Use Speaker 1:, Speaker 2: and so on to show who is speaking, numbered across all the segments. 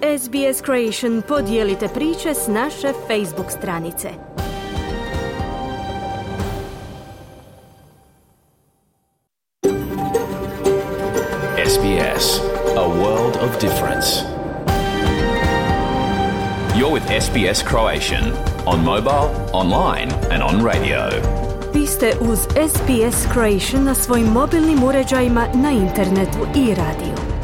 Speaker 1: SBS Creation podijelite priče s naše Facebook stranice.
Speaker 2: SBS, a world of difference. You're with SBS Croatian on mobile, online and on radio.
Speaker 1: Vi ste uz SBS Creation na svojim mobilnim uređajima, na internetu i radiju.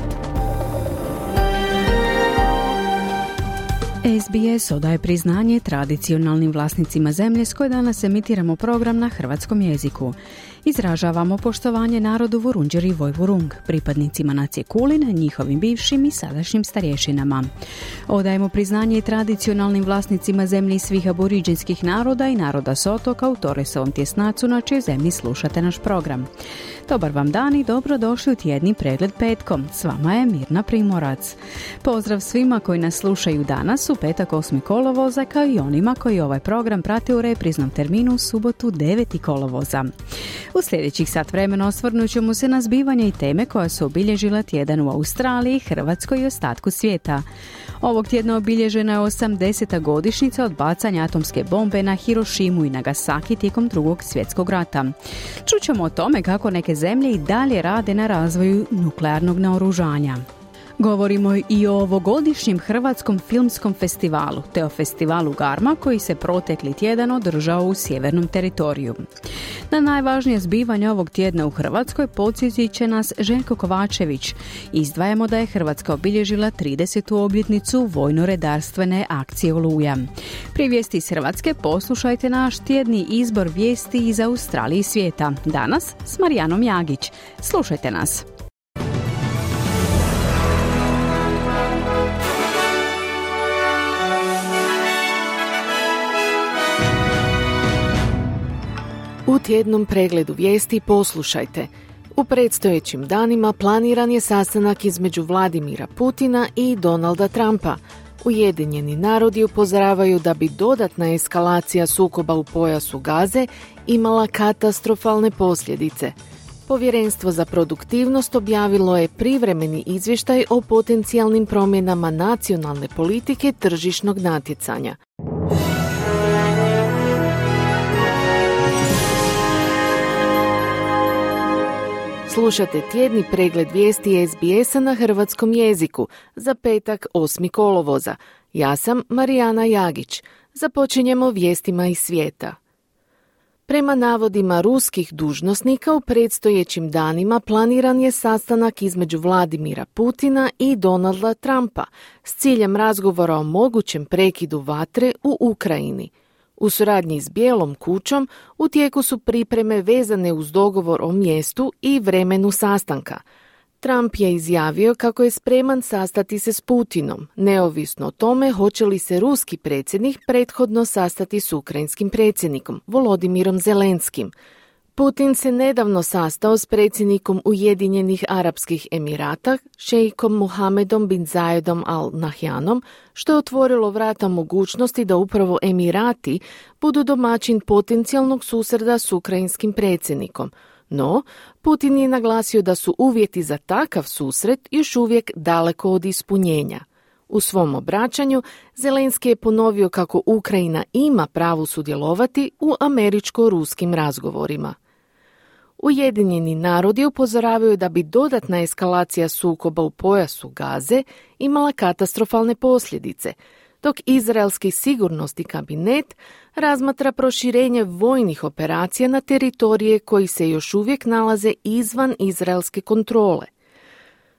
Speaker 3: SBS odaje priznanje tradicionalnim vlasnicima zemlje s koje danas emitiramo program na hrvatskom jeziku. Izražavamo poštovanje narodu Vurundjeri i Vojvurung, pripadnicima nacije Kulin, njihovim bivšim i sadašnjim starješinama. Odajemo priznanje i tradicionalnim vlasnicima zemlji svih aboriđinskih naroda i naroda s otoka u Torresovom tjesnacu na čijoj zemlji slušate naš program. Dobar vam dan i dobrodošli u tjedni pregled petkom. S vama je Mirna Primorac. Pozdrav svima koji nas slušaju danas u petak 8. kolovoza, kao i onima koji ovaj program prate u repriznom terminu u subotu 9. kolovoza. U sljedećih sat vremena osvrnut ćemo se na zbivanja i teme koja su obilježila tjedan u Australiji, Hrvatskoj i ostatku svijeta. Ovog tjedna obilježena je 80. godišnjica od bacanja atomske bombe na Hirošimu i Nagasaki tijekom Drugog svjetskog rata. Čućemo o tome kako neke zemlje i dalje rade na razvoju nuklearnog naoružanja. Govorimo i o ovogodišnjem Hrvatskom filmskom festivalu, te o festivalu Garma koji se protekli tjedan održao u sjevernom teritoriju. Na najvažnije zbivanje ovog tjedna u Hrvatskoj podsjetit će nas Željko Kovačević. Izdvajamo da je Hrvatska obilježila 30. obljetnicu vojno-redarstvene akcije Oluja. Prije vijesti iz Hrvatske poslušajte naš tjedni izbor vijesti iz Australije i svijeta. Danas s Marijanom Jagić. Slušajte nas.
Speaker 4: U tjednom pregledu vijesti poslušajte. U predstojećim danima planiran je sastanak između Vladimira Putina i Donalda Trumpa. Ujedinjeni narodi upozoravaju da bi dodatna eskalacija sukoba u pojasu Gaze imala katastrofalne posljedice. Povjerenstvo za produktivnost objavilo je privremeni izvještaj o potencijalnim promjenama nacionalne politike tržišnog natjecanja. Slušate tjedni pregled vijesti SBS-a na hrvatskom jeziku za petak 8. kolovoza. Ja sam Marijana Jagić. Započinjemo vijestima iz svijeta. Prema navodima ruskih dužnosnika u predstojećim danima planiran je sastanak između Vladimira Putina i Donalda Trumpa s ciljem razgovora o mogućem prekidu vatre u Ukrajini. U suradnji s Bijelom kućom u tijeku su pripreme vezane uz dogovor o mjestu i vremenu sastanka. Trump je izjavio kako je spreman sastati se s Putinom, neovisno o tome hoće li se ruski predsjednik prethodno sastati s ukrajinskim predsjednikom, Volodimirom Zelenskim. Putin se nedavno sastao s predsjednikom Ujedinjenih Arapskih Emirata, šejkom Muhamedom bin Zayedom Al Nahyanom, što je otvorilo vrata mogućnosti da upravo Emirati budu domaćin potencijalnog susreta s ukrajinskim predsjednikom. No, Putin je naglasio da su uvjeti za takav susret još uvijek daleko od ispunjenja. U svom obraćanju Zelenski je ponovio kako Ukrajina ima pravo sudjelovati u američko-ruskim razgovorima. Ujedinjeni narodi upozoravaju da bi dodatna eskalacija sukoba u pojasu Gaze imala katastrofalne posljedice, dok Izraelski sigurnosni kabinet razmatra proširenje vojnih operacija na teritorije koji se još uvijek nalaze izvan izraelske kontrole.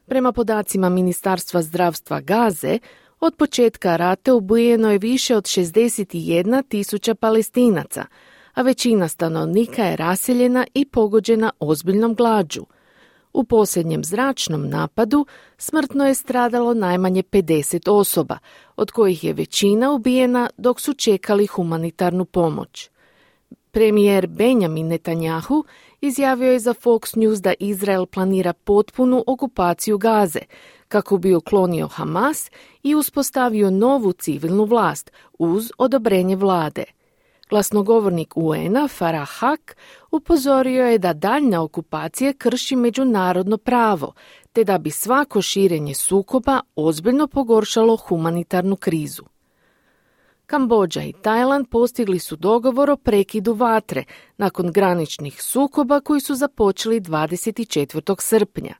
Speaker 4: Prema podacima Ministarstva zdravstva Gaze, od početka rata ubijeno je više od 61.000 Palestinaca, a većina stanovnika je raseljena i pogođena ozbiljnom glađu. U posljednjem zračnom napadu smrtno je stradalo najmanje 50 osoba, od kojih je većina ubijena dok su čekali humanitarnu pomoć. Premijer Benjamin Netanjahu izjavio je za Fox News da Izrael planira potpunu okupaciju Gaze, kako bi uklonio Hamas i uspostavio novu civilnu vlast uz odobrenje vlade. Glasnogovornik UN-a Farah Haq upozorio je da daljnja okupacija krši međunarodno pravo, te da bi svako širenje sukoba ozbiljno pogoršalo humanitarnu krizu. Kambodža i Tajland postigli su dogovor o prekidu vatre nakon graničnih sukoba koji su započeli 24. srpnja.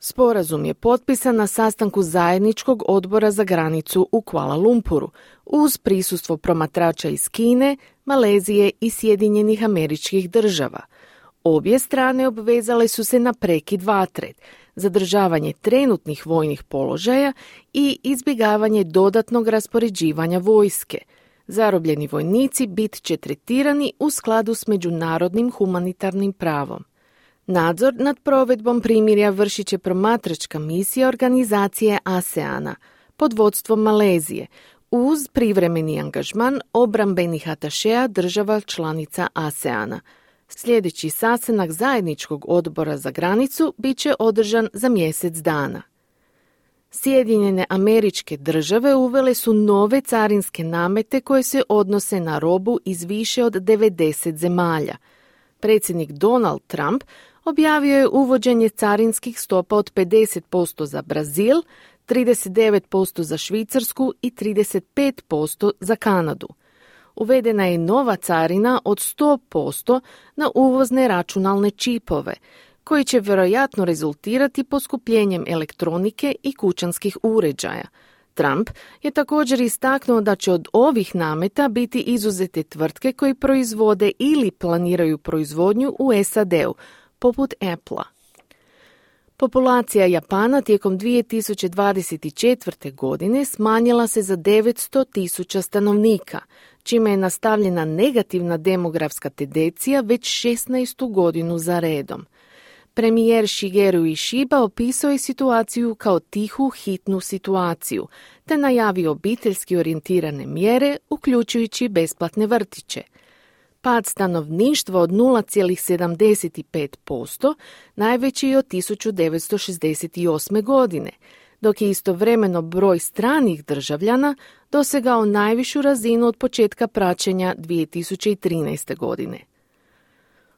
Speaker 4: Sporazum je potpisan na sastanku zajedničkog odbora za granicu u Kuala Lumpuru uz prisustvo promatrača iz Kine, Malezije i Sjedinjenih Američkih Država. Obje strane obvezale su se na prekid vatre, zadržavanje trenutnih vojnih položaja i izbjegavanje dodatnog raspoređivanja vojske. Zarobljeni vojnici bit će tretirani u skladu s međunarodnim humanitarnim pravom. Nadzor nad provedbom primirja vršit će promatračka misija organizacije ASEANA pod vodstvom Malezije uz privremeni angažman obrambenih atašeja država članica ASEANA. Sljedeći sastanak zajedničkog odbora za granicu bit će održan za mjesec dana. Sjedinjene Američke Države uvele su nove carinske namete koje se odnose na robu iz više od 90 zemalja. Predsjednik Donald Trump objavio je uvođenje carinskih stopa od 50% za Brazil, 39% za Švicarsku i 35% za Kanadu. Uvedena je nova carina od 100% na uvozne računalne čipove, koji će vjerojatno rezultirati poskupljenjem elektronike i kućanskih uređaja. Trump je također istaknuo da će od ovih nameta biti izuzete tvrtke koji proizvode ili planiraju proizvodnju u SAD-u, poput Apple-a. Populacija Japana tijekom 2024. godine smanjila se za 900.000 stanovnika, čime je nastavljena negativna demografska tendencija već 16. godinu za redom. Premijer Shigeru Ishiba opisao je situaciju kao tihu, hitnu situaciju, te najavio obiteljski orijentirane mjere, uključujući besplatne vrtiće. Pad stanovništva od 0,75% najveći je od 1968. godine, dok je istovremeno broj stranih državljana dosegao najvišu razinu od početka praćenja 2013. godine.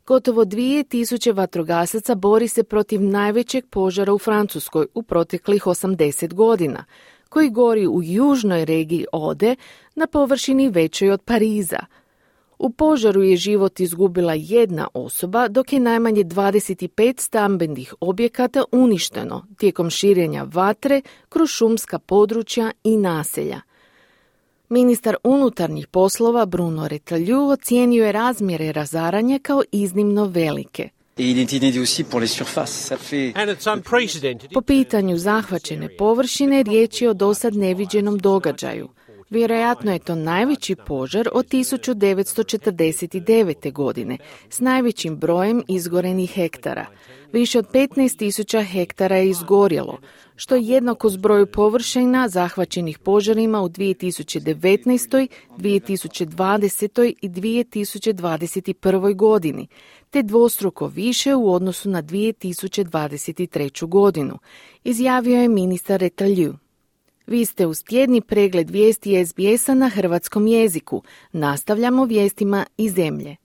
Speaker 4: Gotovo 2000 vatrogasaca bori se protiv najvećeg požara u Francuskoj u proteklih 80 godina, koji gori u južnoj regiji Ode na površini većoj od Pariza. U požaru je život izgubila jedna osoba, dok je najmanje 25 stambenih objekata uništeno tijekom širenja vatre kroz šumska područja i naselja. Ministar unutarnjih poslova Bruno Retailleau ocijenio je razmjere razaranja kao iznimno velike. Po pitanju zahvaćene površine riječ je o dosad neviđenom događaju. Vjerojatno je to najveći požar od 1949. godine s najvećim brojem izgorenih hektara. Više od 15.000 hektara je izgorjelo, što je jednako zbroju površina zahvaćenih požarima u 2019., 2020. i 2021. godini, te dvostruko više u odnosu na 2023. godinu, izjavio je ministar Retailleau. Vi ste uz tjedni pregled vijesti SBS-a na hrvatskom jeziku. Nastavljamo vijestima iz zemlje.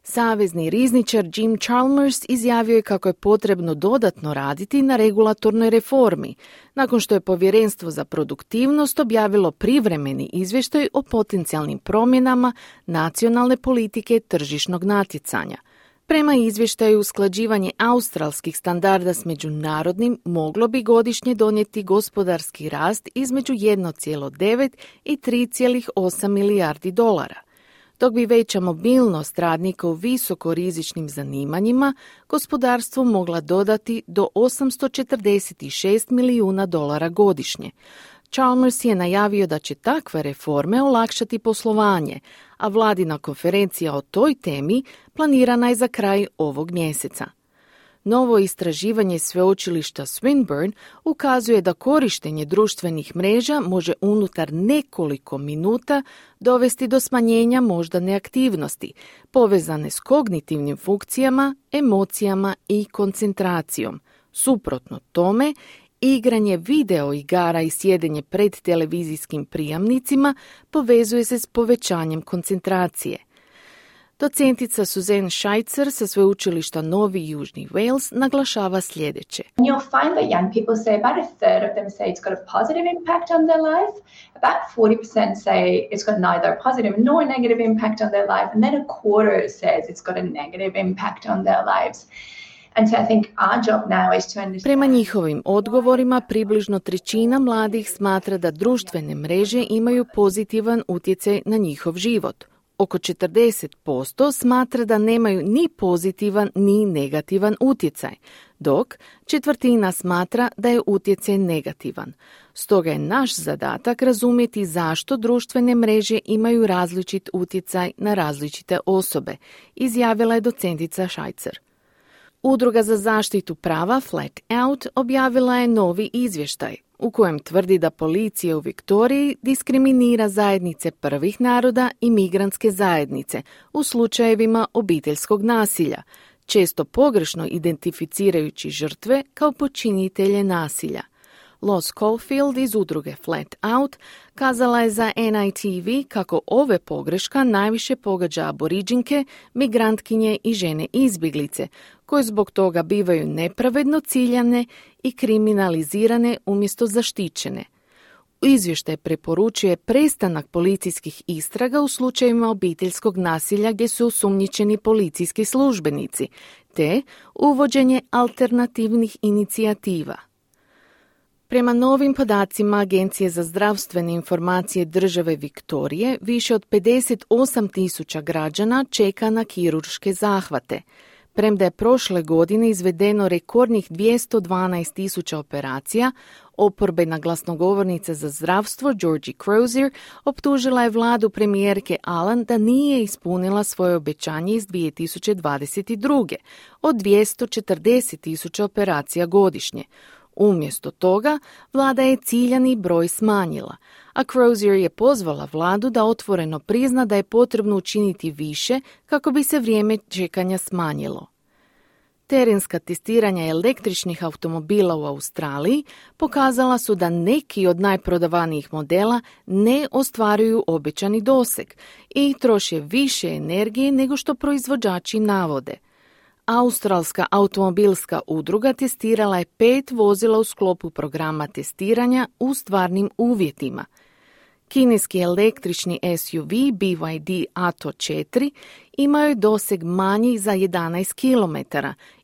Speaker 4: Savezni rizničar Jim Chalmers izjavio je kako je potrebno dodatno raditi na regulatornoj reformi, nakon što je Povjerenstvo za produktivnost objavilo privremeni izvještaj o potencijalnim promjenama nacionalne politike tržišnog natjecanja. Prema izvještaju, usklađivanje australskih standarda s međunarodnim moglo bi godišnje donijeti gospodarski rast između 1,9 i 3,8 milijardi dolara. Dok bi veća mobilnost radnika u visokorizičnim zanimanjima gospodarstvu mogla dodati do 846 milijuna dolara godišnje. Chalmers je najavio da će takve reforme olakšati poslovanje, a vladina konferencija o toj temi planirana je za kraj ovog mjeseca. Novo istraživanje sveučilišta Swinburne ukazuje da korištenje društvenih mreža može unutar nekoliko minuta dovesti do smanjenja moždane aktivnosti, povezane s kognitivnim funkcijama, emocijama i koncentracijom. Suprotno tome, igranje video igara i sjedenje pred televizijskim prijamnicima povezuje se s povećanjem koncentracije. Docentica Suzanne Scheitzer sa sveučilišta Novi Južni Wales naglašava sljedeće.
Speaker 5: You'll find that young people say about a third of them say it's got a positive impact on their life. About 40% say it's got neither a positive nor a negative impact on their life. And then a quarter says it's got a negative impact on their lives.
Speaker 4: Prema njihovim odgovorima, približno trećina mladih smatra da društvene mreže imaju pozitivan utjecaj na njihov život. Oko 40% smatra da nemaju ni pozitivan ni negativan utjecaj, dok četvrtina smatra da je utjecaj negativan. Stoga je naš zadatak razumjeti zašto društvene mreže imaju različit utjecaj na različite osobe, izjavila je docentica Scheitzer. Udruga za zaštitu prava Flat Out objavila je novi izvještaj u kojem tvrdi da policija u Viktoriji diskriminira zajednice prvih naroda i migrantske zajednice u slučajevima obiteljskog nasilja, često pogrešno identificirajući žrtve kao počinitelje nasilja. Lois Caulfield iz udruge Flat Out kazala je za NITV kako ove pogreška najviše pogađa aboriđinke, migrantkinje i žene izbjeglice, koje zbog toga bivaju nepravedno ciljane i kriminalizirane umjesto zaštićene. Izvještaj preporučuje prestanak policijskih istraga u slučajevima obiteljskog nasilja gdje su osumnjičeni policijski službenici, te uvođenje alternativnih inicijativa. Prema novim podacima Agencije za zdravstvene informacije države Viktorije, više od 58.000 građana čeka na kirurške zahvate. Premda je prošle godine izvedeno rekordnih 212.000 operacija, oporbena glasnogovornica za zdravstvo Georgie Crozier optužila je vladu premijerke Allen da nije ispunila svoje obećanje iz 2022. od 240.000 operacija godišnje. Umjesto toga, vlada je ciljani broj smanjila, a Crozier je pozvala vladu da otvoreno prizna da je potrebno učiniti više kako bi se vrijeme čekanja smanjilo. Terenska testiranja električnih automobila u Australiji pokazala su da neki od najprodavanijih modela ne ostvaruju obećani doseg i troše više energije nego što proizvođači navode. Australska automobilska udruga testirala je 5 vozila u sklopu programa testiranja u stvarnim uvjetima. Kineski električni SUV BYD Atto 4 imaju doseg manji za 11 km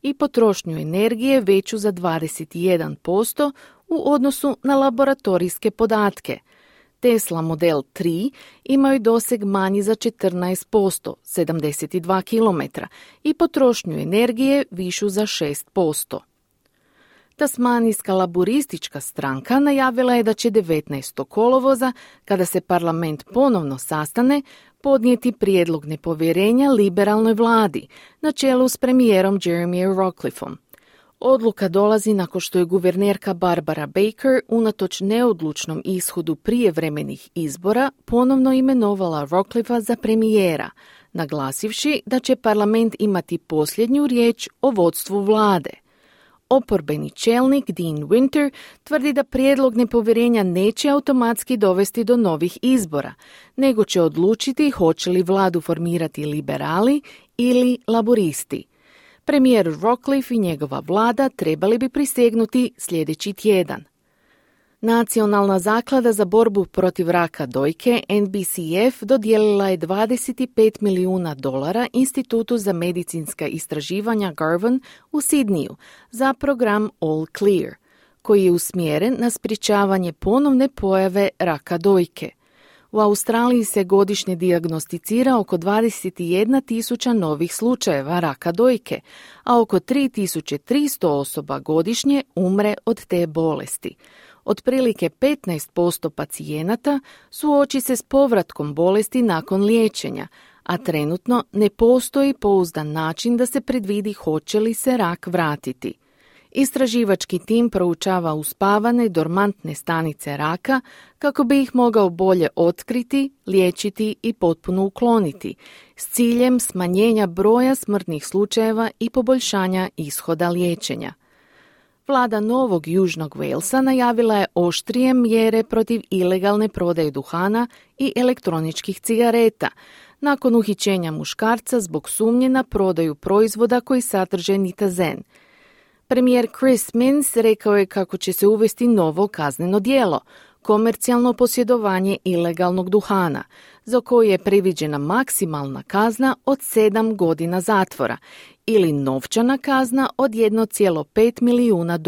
Speaker 4: i potrošnju energije veću za 21% u odnosu na laboratorijske podatke. Tesla Model 3 imaju doseg manji za 14%, 72 km, i potrošnju energije višu za 6%. Tasmanijska laburistička stranka najavila je da će 19. kolovoza, kada se parlament ponovno sastane, podnijeti prijedlog nepovjerenja liberalnoj vladi, na čelu s premijerom Jeremyjem Rockliffom. Odluka dolazi nakon što je guvernerka Barbara Baker unatoč neodlučnom ishodu prijevremenih izbora ponovno imenovala Rockliffa za premijera, naglasivši da će parlament imati posljednju riječ o vodstvu vlade. Oporbeni čelnik Dean Winter tvrdi da prijedlog nepovjerenja neće automatski dovesti do novih izbora, nego će odlučiti hoće li vladu formirati liberali ili laboristi. Premijer Rockliff i njegova vlada trebali bi prisegnuti sljedeći tjedan. Nacionalna zaklada za borbu protiv raka dojke, NBCF, dodijelila je $25 milijuna Institutu za medicinska istraživanja Garvan u Sidniju za program All Clear, koji je usmjeren na sprječavanje ponovne pojave raka dojke. U Australiji se godišnje dijagnosticira oko 21.000 novih slučajeva raka dojke, a oko 3.300 osoba godišnje umre od te bolesti. Otprilike 15% pacijenata suoči se s povratkom bolesti nakon liječenja, a trenutno ne postoji pouzdan način da se predvidi hoće li se rak vratiti. Istraživački tim proučava uspavane dormantne stanice raka kako bi ih mogao bolje otkriti, liječiti i potpuno ukloniti, s ciljem smanjenja broja smrtnih slučajeva i poboljšanja ishoda liječenja. Vlada Novog Južnog Walesa najavila je oštrije mjere protiv ilegalne prodaje duhana i elektroničkih cigareta, nakon uhićenja muškarca zbog sumnje na prodaju proizvoda koji sadrže nitazen. Premijer Chris Minns rekao je kako će se uvesti novo kazneno djelo, komercijalno posjedovanje ilegalnog duhana, za koje je predviđena maksimalna kazna od 7 godina zatvora ili novčana kazna od $1,5 milijuna.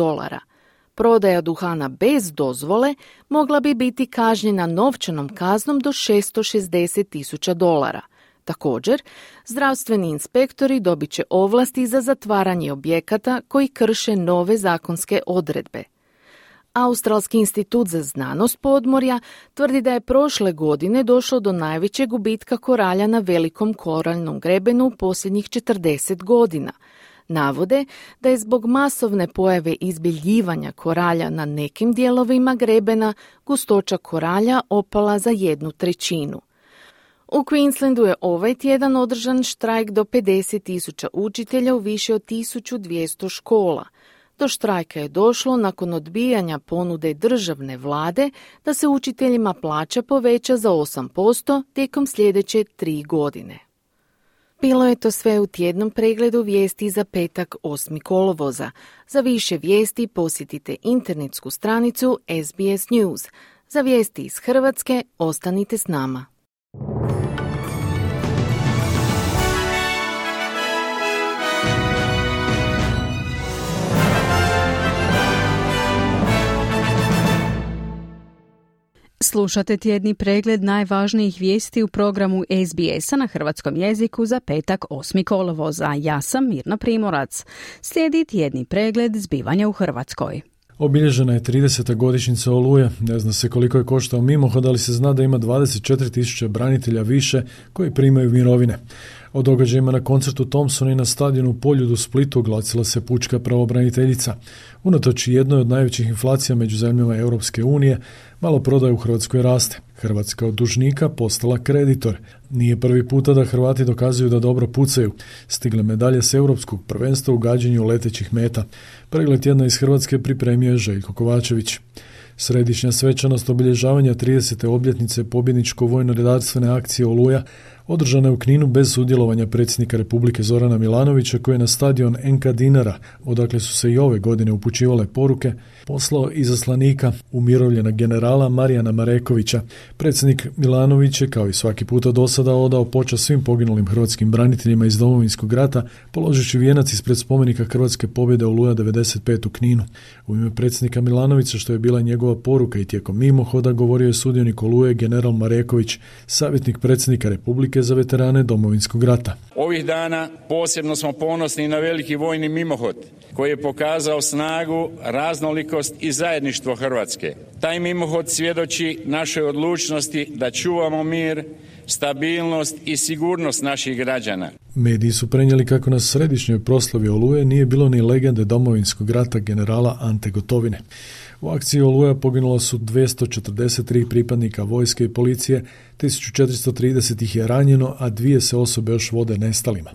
Speaker 4: Prodaja duhana bez dozvole mogla bi biti kažnjena novčanom kaznom do $660,000. Također, zdravstveni inspektori dobit će ovlasti za zatvaranje objekata koji krše nove zakonske odredbe. Australski institut za znanost podmorja tvrdi da je prošle godine došlo do najvećeg gubitka koralja na velikom koraljnom grebenu u posljednjih 40 godina. Navode da je zbog masovne pojave izbjeljivanja koralja na nekim dijelovima grebena gustoća koralja opala za 1/3. U Queenslandu je ovaj tjedan održan štrajk do 50,000 učitelja u više od 1200 škola. Do štrajka je došlo nakon odbijanja ponude državne vlade da se učiteljima plaća poveća za 8% tijekom sljedeće 3 godine. Bilo je to sve u tjednom pregledu vijesti za petak 8. kolovoza. Za više vijesti posjetite internetsku stranicu SBS News. Za vijesti iz Hrvatske ostanite s nama.
Speaker 3: Slušate tjedni pregled najvažnijih vijesti u programu SBS-a na hrvatskom jeziku za petak 8. kolovoza. Ja sam Mirna Primorac. Slijedi tjedni pregled zbivanja u Hrvatskoj.
Speaker 6: Obilježena je 30. godišnjica Oluje. Ne zna se koliko je koštao mimohod, ali se zna da ima 24.000 branitelja više koji primaju mirovine. O događajima na koncertu Thompsona i na stadionu u Poljudu u Splitu oglasila se pučka pravobraniteljica. Unatoč jednoj od najvećih inflacija među zemljama Europske unije, maloprodaja u Hrvatskoj raste. Hrvatska od dužnika postala kreditor. Nije prvi puta da Hrvati dokazuju da dobro pucaju. Stigle medalje s europskog prvenstva u gađanju letećih meta. Pregled tjedna iz Hrvatske pripremio je Željko Kovačević. Središnja svečanost obilježavanja 30. obljetnice pobjedničko-vojno-redarstvene akcije Oluja održana je u Kninu bez sudjelovanja predsjednika Republike Zorana Milanovića, koji je na stadion NK Dinara, odakle su se i ove godine upućivale poruke, poslao izaslanika, umirovljena generala Marijana Marekovića. Predsjednik Milanović je, kao i svaki puta do sada, odao počast svim poginulim hrvatskim braniteljima iz Domovinskog rata, položivši vijenac ispred spomenika Hrvatske pobjede Oluja 95 u Kninu. U ime predsjednika Milanovića, što je bila njegova poruka i tijekom mimohoda, govorio je sudionik Oluje general Mareković, savjetnik predsjednika Republike za veterane Domovinskog rata.
Speaker 7: Ovih dana posebno smo ponosni na veliki vojni mimohod koji je pokazao snagu, raznolikost i zajedništvo Hrvatske. Taj mimohod svjedoči našoj odlučnosti da čuvamo mir, stabilnost i sigurnost naših građana.
Speaker 6: Mediji su prenijeli kako na središnjoj proslavi Oluje nije bilo ni legende Domovinskog rata generala Ante Gotovine. U akciji Oluja poginulo su 243 pripadnika vojske i policije, 1430 ih je ranjeno, a 2 se osobe još vode nestalima.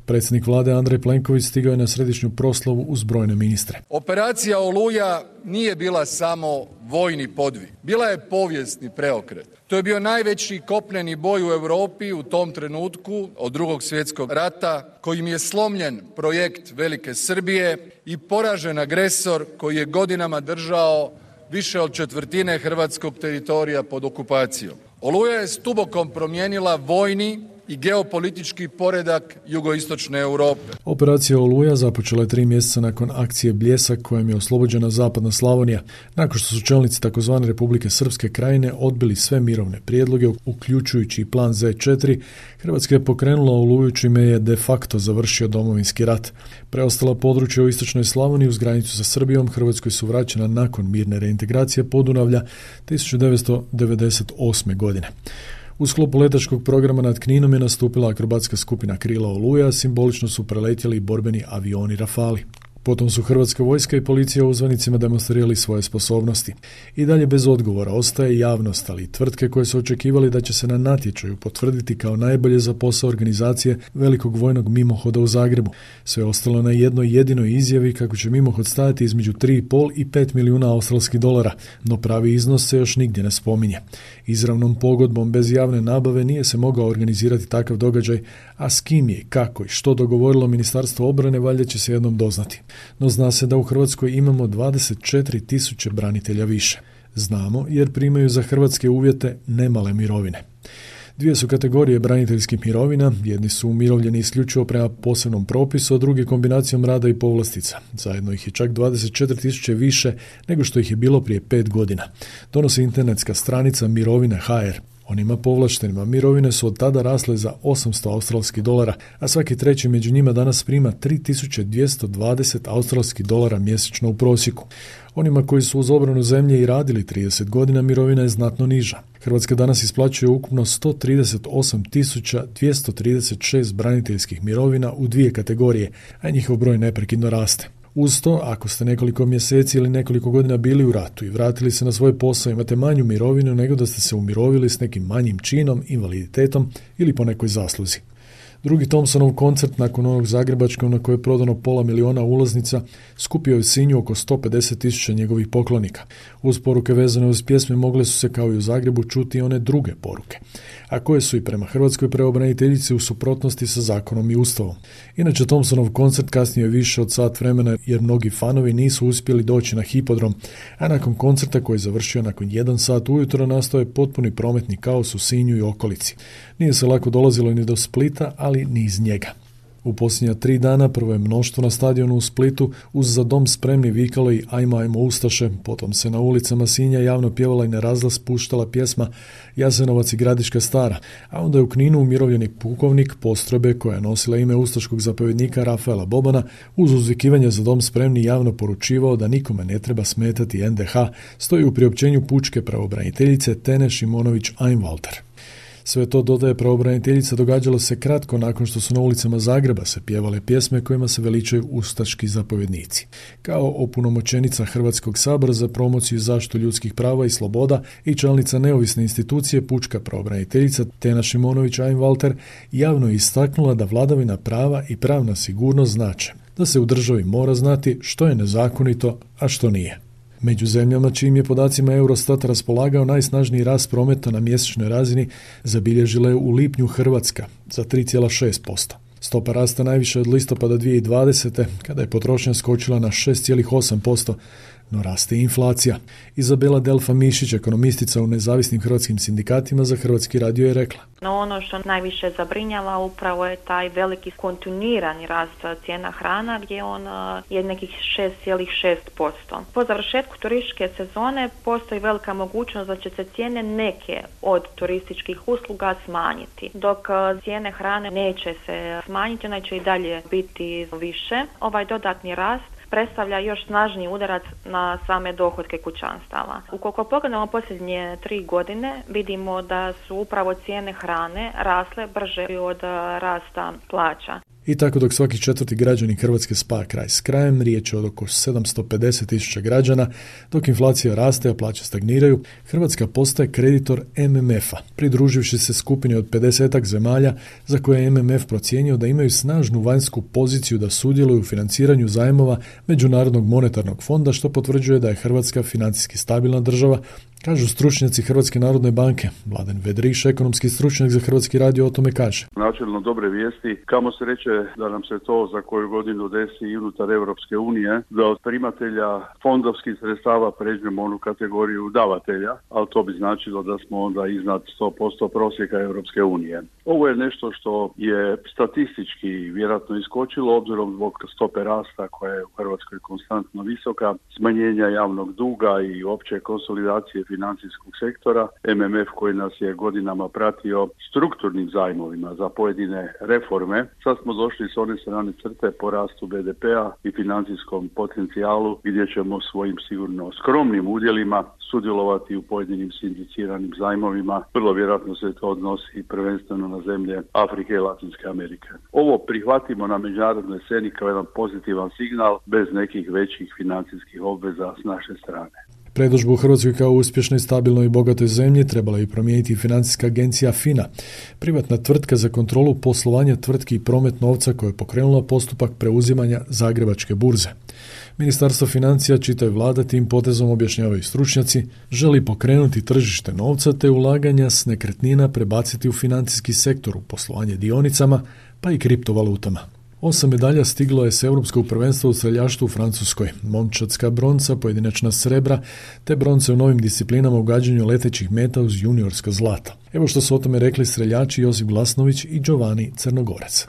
Speaker 6: Predsjednik vlade Andrej Plenković stigao je na središnju proslavu uz brojne ministre.
Speaker 8: Operacija Oluja nije bila samo vojni podvig, bila je povijesni preokret. To je bio najveći kopneni boj u Europi u tom trenutku od Drugog svjetskog rata, kojim je slomljen projekt Velike Srbije i poražen agresor koji je godinama držao više od 1/4 hrvatskog teritorija pod okupacijom. Oluja je s dubokom promijenila vojni i geopolitički poredak jugoistočne Europe.
Speaker 6: Operacija Oluja započela je 3 mjeseca nakon akcije Bljesak, kojom je oslobođena zapadna Slavonija, nakon što su čelnici tzv. Republike Srpske krajine odbili sve mirovne prijedloge, uključujući i plan Z4. Hrvatska je pokrenula Oluju, čime je de facto završio Domovinski rat. Preostala područja u istočnoj Slavoniji uz granicu sa Srbijom Hrvatskoj su vraćena nakon mirne reintegracije Podunavlja 1998. godine. U sklopu letačkog programa nad Kninom je nastupila akrobatska skupina Krila Oluja, simbolično su preletjeli borbeni avioni Rafali. Potom su Hrvatska vojska i policija uzvanicima demonstrirali svoje sposobnosti. I dalje bez odgovora ostaje javnost, ali i tvrtke koje su očekivali da će se na natječaju potvrditi kao najbolje za posao organizacije velikog vojnog mimohoda u Zagrebu. Sve ostalo na jednoj jedinoj izjavi kako će mimohod stajati između 3,5 i 5 milijuna australskih dolara, no pravi iznos se još nigdje ne spominje. Izravnom pogodbom bez javne nabave nije se mogao organizirati takav događaj, a s kim je, kako i što dogovorilo Ministarstvo obrane valjda će se jednom doznati. No zna se da u Hrvatskoj imamo 24.000 branitelja više. Znamo jer primaju za hrvatske uvjete nemale mirovine. Dvije su kategorije braniteljskih mirovina, jedni su umirovljeni isključivo prema posebnom propisu, a drugi kombinacijom rada i povlastica. Zajedno ih je čak 24.000 više nego što ih je bilo prije 5 godina. Donosi internetska stranica Mirovine.hr. Onima povlaštenima mirovine su od tada rasle za 800 australskih dolara, a svaki treći među njima danas prima 3.220 australskih dolara mjesečno u prosjeku. Onima koji su uz obranu zemlje i radili 30 godina mirovina je znatno niža. Hrvatska danas isplaćuje ukupno 138.236 braniteljskih mirovina u dvije kategorije, a njihov broj neprekidno raste. Uz to, ako ste nekoliko mjeseci ili nekoliko godina bili u ratu i vratili se na svoj posao, imate manju mirovinu nego da ste se umirovili s nekim manjim činom, invaliditetom ili po nekoj zasluzi. Drugi Thompsonov koncert nakon onog zagrebačkog na koje je prodano 500.000 ulaznica skupio je u Sinju oko 150.000 njegovih poklonika. Uz poruke vezane uz pjesme mogle su se kao i u Zagrebu čuti i one druge poruke, a koje su i prema hrvatskoj pravobraniteljici u suprotnosti sa zakonom i ustavom. Inače, Thompsonov koncert kasnije je više od sat vremena jer mnogi fanovi nisu uspjeli doći na hipodrom, a nakon koncerta koji je završio nakon 1 sat ujutro nastao je potpuni prometni kaos u Sinju i okolici. Nije se lako dolazilo ni do Splita, ali ni iz njega. U posljednja 3 dana prvo je mnoštvo na stadionu u Splitu uz Za dom spremni vikalo i ajmo Ustaše, potom se na ulicama Sinja javno pjevala i na razglas puštala pjesma Jasenovac i Gradiška stara, a onda je u Kninu umirovljeni pukovnik postrojbe koja je nosila ime ustaškog zapovjednika Rafaela Bobana uz uzvikivanje Za dom spremni javno poručivao da nikome ne treba smetati NDH, stoji u priopćenju pučke pravobraniteljice Tene Šimonović-Einwalter. Sve to, dodaje pravobraniteljica, događalo se kratko nakon što su na ulicama Zagreba se pjevale pjesme kojima se veličaju ustaški zapovjednici. Kao opunomoćenica Hrvatskog sabora za promociju i zaštitu ljudskih prava i sloboda i članica neovisne institucije pučka pravobraniteljica Tena Šimonović-Einwalter javno je istaknula da vladavina prava i pravna sigurnost znače da se u državi mora znati što je nezakonito, a što nije. Među zemljama čijim je podacima Eurostat raspolagao najsnažniji rast prometa na mjesečnoj razini zabilježila je u lipnju Hrvatska za 3,6%. Stopa rasta najviše od listopada 2020. kada je potrošnja skočila na 6,8%, no raste i inflacija. Izabela Delfa Mišić, ekonomistica u nezavisnim hrvatskim sindikatima za Hrvatski radio, je rekla:
Speaker 9: No ono što najviše zabrinjava upravo je taj veliki kontinuirani rast cijena hrana gdje on je nekih 6,6%. Po završetku turističke sezone postoji velika mogućnost da će se cijene neke od turističkih usluga smanjiti, dok cijene hrane neće se smanjiti, ona će i dalje biti više. Ovaj dodatni rast predstavlja još snažniji udarac na same dohotke kućanstava. Ukoliko pogledamo posljednje 3 godine, vidimo da su upravo cijene hrane rasle brže od rasta plaća.
Speaker 6: I tako dok svaki 4. građanin Hrvatske spaja kraj s krajem, riječ je od oko 750.000 građana, dok inflacija raste, a plaće stagniraju, Hrvatska postaje kreditor MMF-a, pridruživši se skupini od 50-ak zemalja za koje je MMF procijenio da imaju snažnu vanjsku poziciju da sudjeluju u financiranju zajmova Međunarodnog monetarnog fonda, što potvrđuje da je Hrvatska financijski stabilna država, kažu stručnjaci Hrvatske narodne banke. Mladen Vedriš, ekonomski stručnjak za Hrvatski radio, o tome kaže:
Speaker 10: Načelno dobre vijesti, kamo se reče da nam se to za koju godinu desi i unutar Europske unije, da od primatelja fondovskih sredstava pređemo onu kategoriju davatelja, ali to bi značilo da smo onda iznad 100% prosjeka Europske unije. Ovo je nešto što je statistički vjerojatno iskočilo obzirom zbog stope rasta koja je u Hrvatskoj konstantno visoka, smanjenja javnog duga i opće konsolidacije financijskog sektora, MMF koji nas je godinama pratio strukturnim zajmovima za pojedine reforme. Sad smo došli s one strane crte po rastu BDP-a i financijskom potencijalu gdje ćemo svojim sigurno skromnim udjelima sudjelovati u pojedinim sindiciranim zajmovima. Vrlo vjerojatno se to odnosi prvenstveno na zemlje Afrike i Latinske Amerike. Ovo prihvatimo na međunarodnoj sceni kao jedan pozitivan signal bez nekih većih financijskih obveza s naše strane.
Speaker 6: Predodžbu u Hrvatskoj kao uspješnoj, stabilnoj i bogatoj zemlji trebala je promijeniti financijska agencija FINA, privatna tvrtka za kontrolu poslovanja tvrtki i promet novca koja je pokrenula postupak preuzimanja Zagrebačke burze. Ministarstvo financija, čita je vlada, tim potezom, objašnjavaju stručnjaci, želi pokrenuti tržište novca te ulaganja s nekretnina prebaciti u financijski sektor, u poslovanje dionicama pa i kriptovalutama. 8 medalja stiglo je s Europskog prvenstva u streljaštvu u Francuskoj, momčadska bronca, pojedinačna srebra, te bronce u novim disciplinama u gađanju letećih meta uz juniorska zlata. Evo što su o tome rekli streljači Josip Glasnović i Giovanni Crnogorac.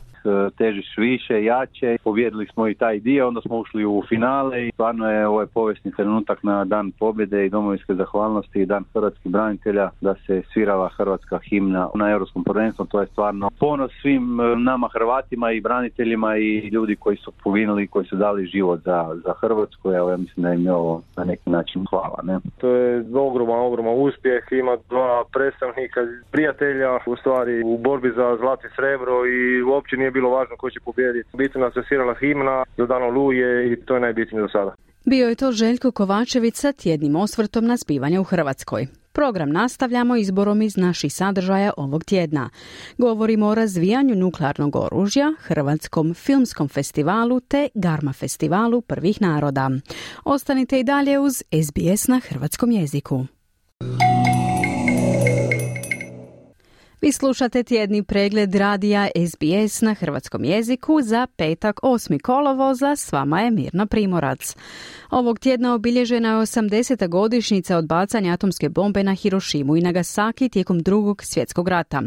Speaker 11: Težiš više, jače, pobijedili smo i taj dio, onda smo ušli u finale i stvarno je ovo povijesni trenutak na dan pobjede i domovinske zahvalnosti i dan hrvatskih branitelja da se svirala hrvatska himna na Europskom prvenstvu. To je stvarno ponos svim nama Hrvatima i braniteljima i ljudi koji su poginuli, koji su dali život za Hrvatsku. Evo, ja mislim da im je ovo na neki način hvala. Ne?
Speaker 12: To je ogroman uspjeh, ima dva predstavnika prijatelja u stvari u borbi za zlato i srebro i uopće nije bilo važno ko će pobijediti. Bitno nas se svirala himna do dana Oluje i to je najbitnije do sada.
Speaker 3: Bio je to Željko Kovačević sa tjednim osvrtom na zbivanja u Hrvatskoj. Program nastavljamo izborom iz naših sadržaja ovog tjedna. Govorimo o razvijanju nuklearnog oružja, Hrvatskom filmskom festivalu te Garma festivalu prvih naroda. Ostanite i dalje uz SBS na hrvatskom jeziku. Vi slušate tjedni pregled radija SBS na hrvatskom jeziku za petak 8. kolovoza, s vama je Mirna Primorac. Ovog tjedna obilježena je 80. godišnjica od bacanja atomske bombe na Hirošimu i Nagasaki tijekom Drugog svjetskog rata.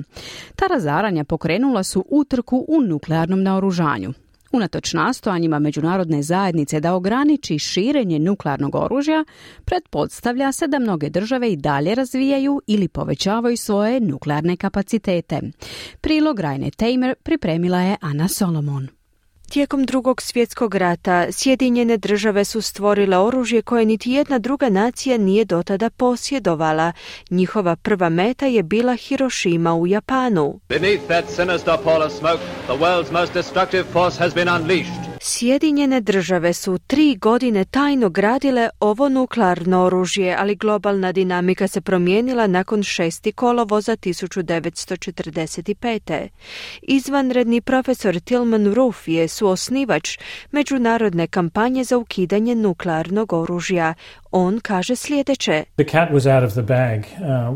Speaker 3: Ta razaranja pokrenula su utrku u nuklearnom naoružanju. Unatoč nastojanjima međunarodne zajednice da ograniči širenje nuklearnog oružja, pretpostavlja se da mnoge države i dalje razvijaju ili povećavaju svoje nuklearne kapacitete. Prilog Rajne Tamer pripremila je Ana Solomon.
Speaker 13: Tijekom Drugog svjetskog rata Sjedinjene države su stvorile oružje koje niti jedna druga nacija nije dotada posjedovala. Njihova prva meta je bila Hirošima u Japanu.
Speaker 14: Beneath that sinister pall of smoke, the world's most destructive force has been unleashed.
Speaker 13: Sjedinjene države su 3 godine tajno gradile ovo nuklearno oružje, ali globalna dinamika se promijenila nakon 6. kolovoza 1945. Izvanredni profesor Tilman Roof je suosnivač međunarodne kampanje za ukidanje nuklearnog oružja. On kaže sljedeće.
Speaker 15: The cat was out of the bag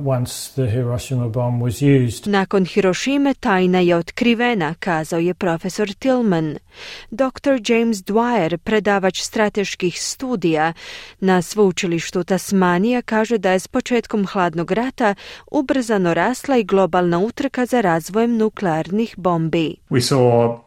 Speaker 15: once the Hiroshima bomb was used.
Speaker 13: Nakon Hirošime tajna je otkrivena, kazao je profesor Tillman. Dr. James Dwyer, predavač strateških studija na sveučilištu Tasmanija, kaže da je s početkom hladnog rata ubrzano rasla i globalna utrka za razvojem nuklearnih bombi.
Speaker 16: We saw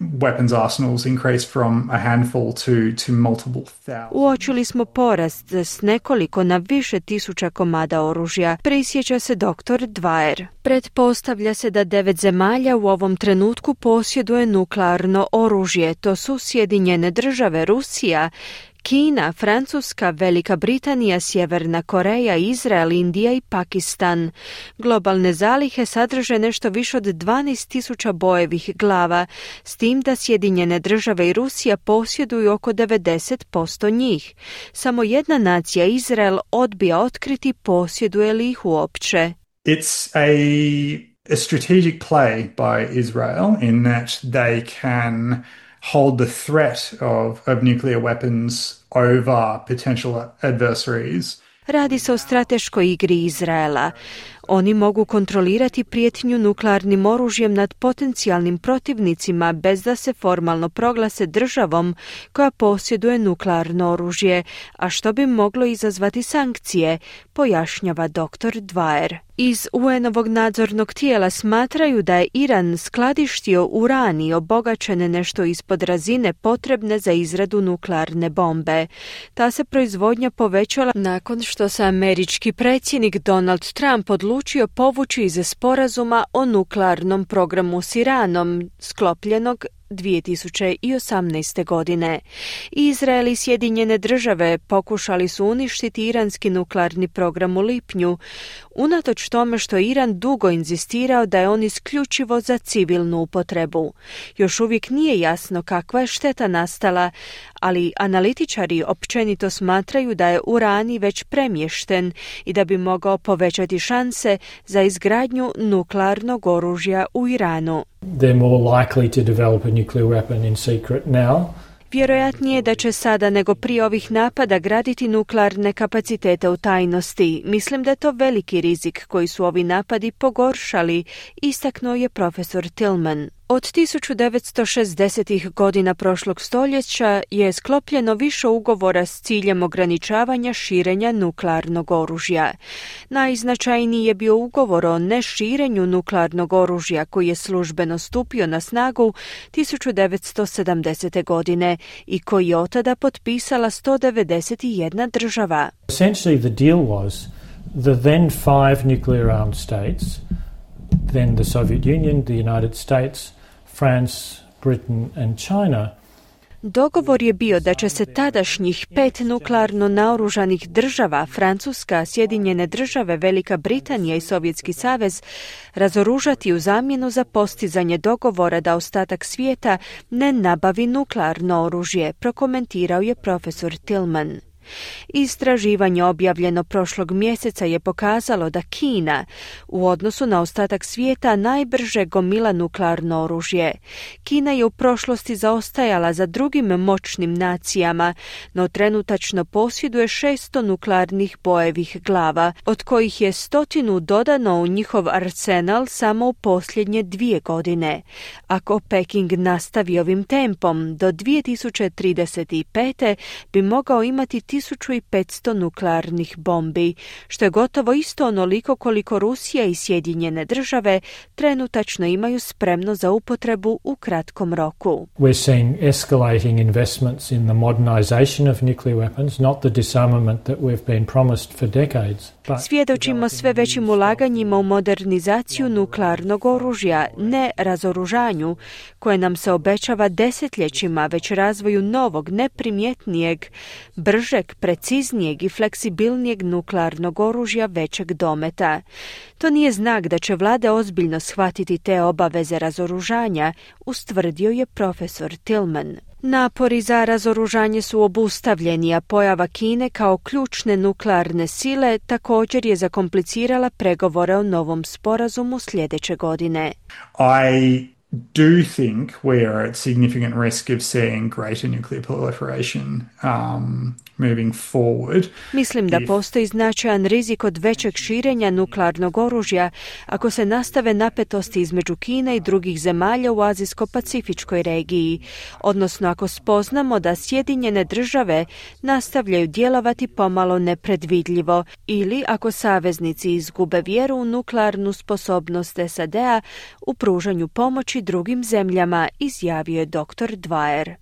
Speaker 16: weapons arsenals increase from a handful to multiple thousands.
Speaker 13: Uočili smo porast s nekoliko na više tisuća komada oružja, prisjeća se dr. Dwyer. Pretpostavlja se da 9 zemalja u ovom trenutku posjeduje nuklearno oružje. To su Sjedinjene države, Rusija, Kina, Francuska, Velika Britanija, Sjeverna Koreja, Izrael, Indija i Pakistan. Globalne zalihe sadrže nešto više od 12.000 bojevih glava, s tim da Sjedinjene države i Rusija posjeduju oko 90% njih. Samo jedna nacija, Izrael, odbija otkriti posjeduje li ih uopće.
Speaker 16: It's a strategic play by Israel in that they can hold the threat of nuclear weapons over potential adversaries.
Speaker 13: Radi se o strateškoj igri Izraela. oni mogu kontrolirati prijetnju nuklearnim oružjem nad potencijalnim protivnicima bez da se formalno proglase državom koja posjeduje nuklearno oružje, a što bi moglo izazvati sankcije, pojašnjava dr. Dwyer. Iz UN-ovog nadzornog tijela smatraju da je Iran skladištio urani obogaćene nešto ispod razine potrebne za izradu nuklearne bombe. Ta se proizvodnja povećala nakon što se američki predsjednik Donald Trump odlučio povući iz sporazuma o nuklearnom programu s Iranom, sklopljenog 2018. godine. Izrael i Sjedinjene Države pokušali su uništiti iranski nuklearni program u lipnju, unatoč tome što Iran dugo inzistirao da je on isključivo za civilnu upotrebu. Još uvijek nije jasno kakva je šteta nastala, ali analitičari općenito smatraju da je urani već premješten i da bi mogao povećati šanse za izgradnju nuklearnog oružja u Iranu.
Speaker 15: They're more likely to develop a nuclear weapon in secret now.
Speaker 13: Vjerojatnije je da će sada nego prije ovih napada graditi nuklearne kapacitete u tajnosti. Mislim da je to veliki rizik koji su ovi napadi pogoršali, istaknuo je profesor Tillman. Od 1960. godina prošlog stoljeća je sklopljeno više ugovora s ciljem ograničavanja širenja nuklearnog oružja. Najznačajniji je bio ugovor o neširenju nuklearnog oružja koji je službeno stupio na snagu 1970. godine i koji je od tada potpisala 191 država.
Speaker 15: Essentially the deal was the then 5 nuclear armed states, then the Soviet Union, the United States, France, Britain and China.
Speaker 13: Dogovor je bio da će se tadašnjih 5 nuklearno naoružanih država, Francuska, Sjedinjene Države, Velika Britanija i Sovjetski savez, razoružati u zamjenu za postizanje dogovora da ostatak svijeta ne nabavi nuklearno oružje, prokomentirao je profesor Tillman. Istraživanje objavljeno prošlog mjeseca je pokazalo da Kina u odnosu na ostatak svijeta najbrže gomila nuklearno oružje. Kina je u prošlosti zaostajala za drugim moćnim nacijama, no trenutačno posjeduje 600 nuklearnih bojevih glava, od kojih je 100 dodano u njihov arsenal samo u posljednje 2 godine. Ako Peking nastavi ovim tempom, do 2035. bi mogao imati 1500 nuklearnih bombi, što je gotovo isto onoliko koliko Rusija i Sjedinjene Države trenutačno imaju spremno za upotrebu u kratkom roku.
Speaker 15: We're seeing escalating investments in the modernization of nuclear weapons, not the disarmament that we've been promised for decades.
Speaker 13: Svjedočimo sve većim ulaganjima u modernizaciju nuklearnog oružja, ne razoružanju, koje nam se obećava desetljećima, već razvoju novog, neprimjetnijeg, bržeg, preciznijeg i fleksibilnijeg nuklearnog oružja većeg dometa. To nije znak da će vlade ozbiljno shvatiti te obaveze razoružanja, ustvrdio je profesor Tillman. Napori za razoružanje su obustavljeni, a pojava Kine kao ključne nuklearne sile također je zakomplicirala pregovore o novom sporazumu sljedeće godine.
Speaker 16: I do think we are at significant risk of seeing greater nuclear proliferation moving forward.
Speaker 13: Mislim da postoji značajan rizik od većeg širenja nuklearnog oružja ako se nastave napetosti između Kine i drugih zemalja u Azijsko-Pacifičkoj regiji, odnosno ako spoznamo da Sjedinjene Države nastavljaju djelovati pomalo nepredvidljivo ili ako saveznici izgube vjeru u nuklearnu sposobnost SAD-a u pružanju pomoći drugim zemljama, izjavio je dr. Dwyer.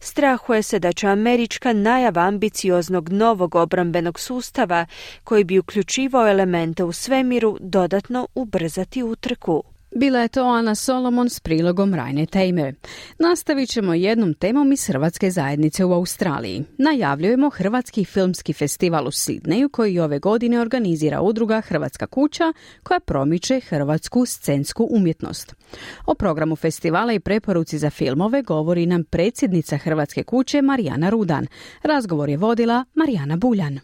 Speaker 13: Strahuje se da će američka najava ambicioznog novog obrambenog sustava, koji bi uključivao elemente u svemiru, dodatno ubrzati utrku.
Speaker 3: Bila je to Ana Solomon s prilogom Rajne Tejmer. Nastavit ćemo jednom temom iz Hrvatske zajednice u Australiji. Najavljujemo Hrvatski filmski festival u Sidneju koji ove godine organizira udruga Hrvatska kuća koja promiče hrvatsku scensku umjetnost. O programu festivala i preporuci za filmove govori nam predsjednica Hrvatske kuće Marijana Rudan. Razgovor je vodila Marijana Buljan.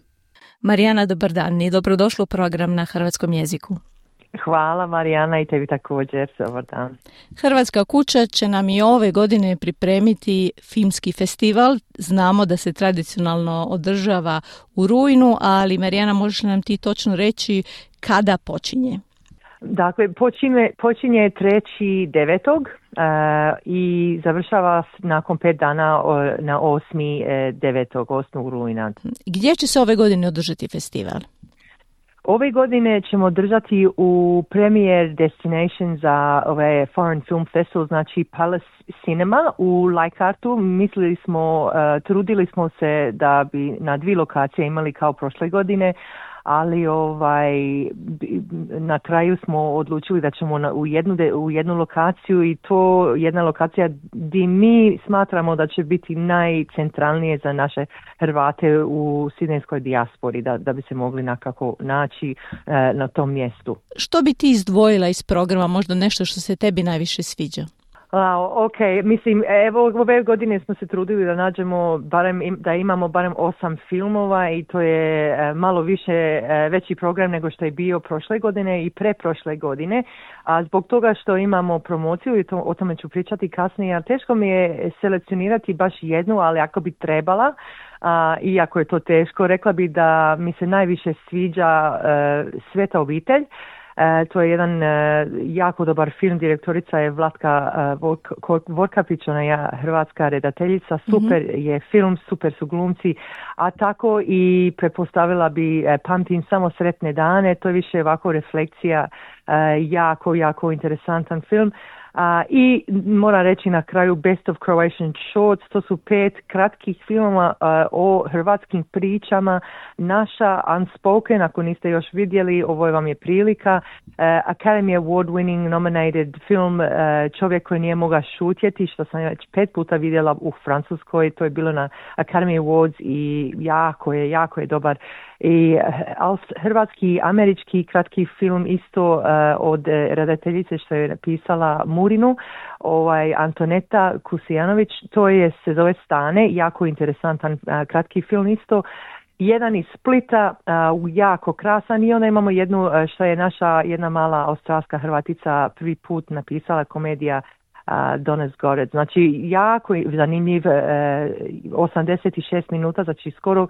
Speaker 17: Marijana, dobar dan i dobrodošla u program na hrvatskom jeziku. Hvala Marijana i tebi također, dobar dan.
Speaker 18: Hrvatska kuća će nam i ove godine pripremiti filmski festival. Znamo da se tradicionalno održava u rujnu, ali Marijana, možeš nam ti točno reći kada počinje?
Speaker 17: Dakle, počinje 3.9. I završava nakon 5 dana na 8. rujna.
Speaker 18: Gdje će se ove godine održati festival?
Speaker 17: Ove godine ćemo držati u premier destination za ovaj Foreign Film Festival, znači Palace Cinema u Leichhardtu. Trudili smo se da bi na 2 lokacije imali kao prošle godine, ali na kraju smo odlučili da ćemo u jednu lokaciju, i to jedna lokacija gdje mi smatramo da će biti najcentralnije za naše Hrvate u sidnejskoj dijaspori, da bi se mogli nekako naći na tom mjestu.
Speaker 18: Što bi ti izdvojila iz programa, možda nešto što se tebi najviše sviđa?
Speaker 17: Ok, mislim, evo ove godine smo se trudili da nađemo da imamo barem 8 filmova, i to je malo veći program nego što je bio prošle godine i preprošle godine, a zbog toga što imamo promociju, i o tome ću pričati kasnije, a teško mi je selekcionirati baš jednu, ali ako bi trebala, iako je to teško, rekla bi da mi se najviše sviđa Sveta obitelj. To je jedan jako dobar film, direktorica je Vlatka Vorkapić, ona je hrvatska redateljica, super je film, super su glumci, a tako i prepostavila bi Pamtim samo sretne dane, to je više ovako refleksija, jako interesantan film. I moram reći na kraju Best of Croatian Shorts, to su 5 kratkih filmova o hrvatskim pričama, naša Unspoken, ako niste još vidjeli, ovo vam je prilika, Academy Award winning nominated film Čovjek koji nije mogao šutjeti, što sam već 5 puta vidjela u Francuskoj, to je bilo na Academy Awards i jako je dobar. I hrvatski, američki kratki film isto od redateljice što je napisala Murinu, Antoneta Kusijanović, to se zove Stane, jako interesantan kratki film isto. Jedan iz Splita, jako krasan, i onda imamo jednu što je naša jedna mala australska Hrvatica prvi put napisala, komedija Dones Gorec. Znači, jako zanimljiv, 86 minuta, znači skoro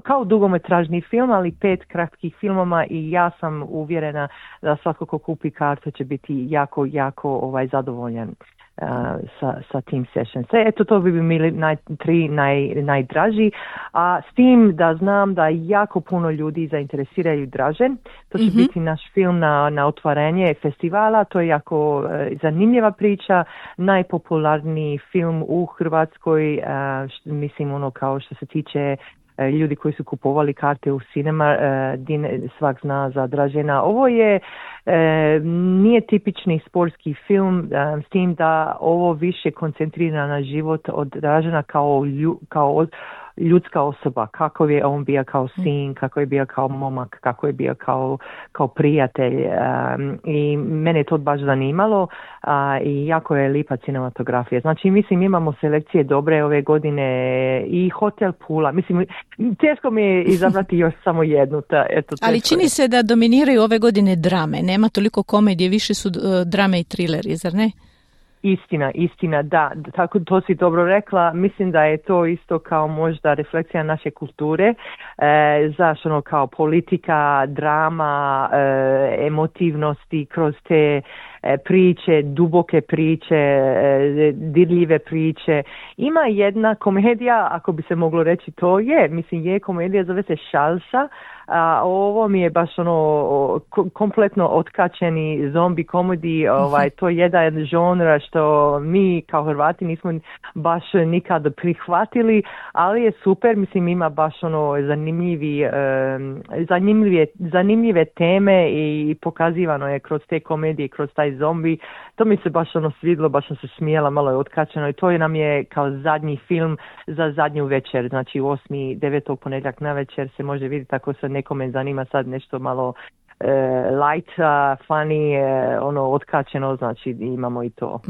Speaker 17: kao dugometražni film, ali 5 kratkih filmova, i ja sam uvjerena da svako ko kupi kartu će biti jako zadovoljan sa tim sessions. Eto, to bi bili najdraži, a s tim da znam da jako puno ljudi zainteresiraju Dražen. To će biti naš film na otvaranje festivala, to je jako zanimljiva priča, najpopularniji film u Hrvatskoj, mislim kao što se tiče ljudi koji su kupovali karte u cinema, svak zna za Dražena. Ovo nije tipični sportski film, s tim da ovo više koncentrira na život od Dražena kao ljudska osoba, kako je on bio kao sin, kako je bio kao momak, kako je bio kao prijatelj, i mene je to baš zanimalo, i jako je lipa cinematografija. Znači, mislim, imamo selekcije dobre ove godine, i Hotel Pula, mislim, teško mi je izabrati još samo jednu. Ali
Speaker 18: čini se da dominiraju ove godine drame, nema toliko komedije, više su drame i trileri, zar ne?
Speaker 17: Istina, da, tako to si dobro rekla. Mislim da je to isto kao možda refleksija naše kulture, zašto kao politika, drama, emotivnosti kroz te priče, duboke priče, dirljive priče. Ima jedna komedija, ako bi se moglo reći, to je komedija, zove se Šalsa, a ovo mi je baš kompletno otkačeni zombi komediji, to je jedan žanr što mi kao Hrvati nismo baš nikad prihvatili, ali je super, mislim, ima baš zanimljive teme, i pokazivano je kroz te komedije, kroz taj zombi. To mi se baš svidlo, baš sam se smijela, malo je otkačeno, i to nam je kao zadnji film za zadnju večer, znači 8.9. ponedjeljak na večer se može vidjeti, ako se nekome zanima sad nešto malo light, funny, otkačeno, znači imamo i to.